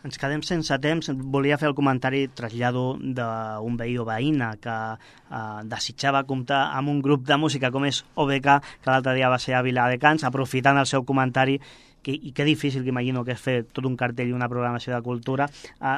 Ens quedem sense temps. Volia fer el comentari trasllado d'un veí o veïna que desitjava comptar amb un grup de música com és OBK, que l'altre dia va ser a Viladecans, aprofitant el seu comentari, i que difícil que imagino que és fer tot un cartell i una programació de cultura.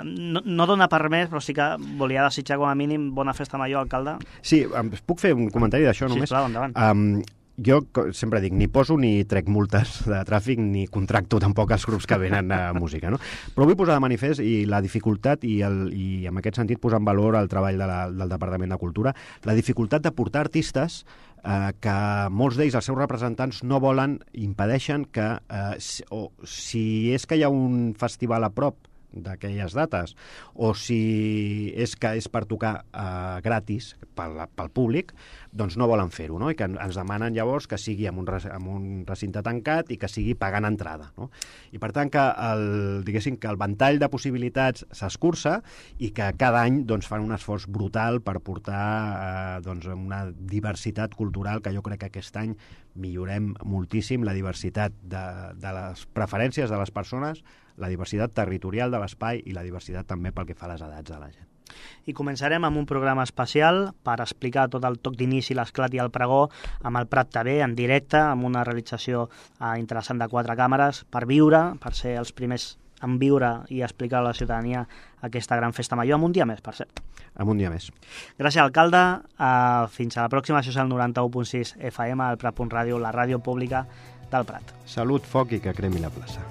No dona per més, però sí que volia desitjar com a mínim bona festa major, alcalde. Sí, puc fer un comentari d'això només? Sisplau, endavant. Jo sempre dic, ni poso ni trec multes de tràfic ni contracto tampoc els grups que venen a música, no? Però vull posar de manifest i la dificultat i en aquest sentit posar en valor el treball del Departament de Cultura, la dificultat de portar artistes que molts d'ells, els seus representants, no volen, impedeixen que si és que hi ha un festival a prop d'aquelles dates, o si és que és per tocar gratis pel públic, doncs no volen fer-ho, no? I que ens demanen llavors que sigui amb un recinte tancat i que sigui pagant entrada, no? I per tant que el ventall de possibilitats s'escurça i que cada any doncs, fan un esforç brutal per portar una diversitat cultural que jo crec que aquest any millorem moltíssim, la diversitat de les preferències de les persones, la diversitat territorial de l'espai i la diversitat també pel que fa a les edats de la gent. I començarem amb un programa especial per explicar tot el toc d'inici, l'esclat i el pregó amb el Prat TV en directe, amb una realització interessant de 4 càmeres, per viure, per ser els primers en viure i explicar a la ciutadania aquesta gran festa major, amb un dia més, per cert. Amb un dia més. Gràcies, alcalde. Fins a la pròxima. Això és el 91.6 FM, el Prat.ràdio, la ràdio pública del Prat. Salut, foc i que cremi la plaça.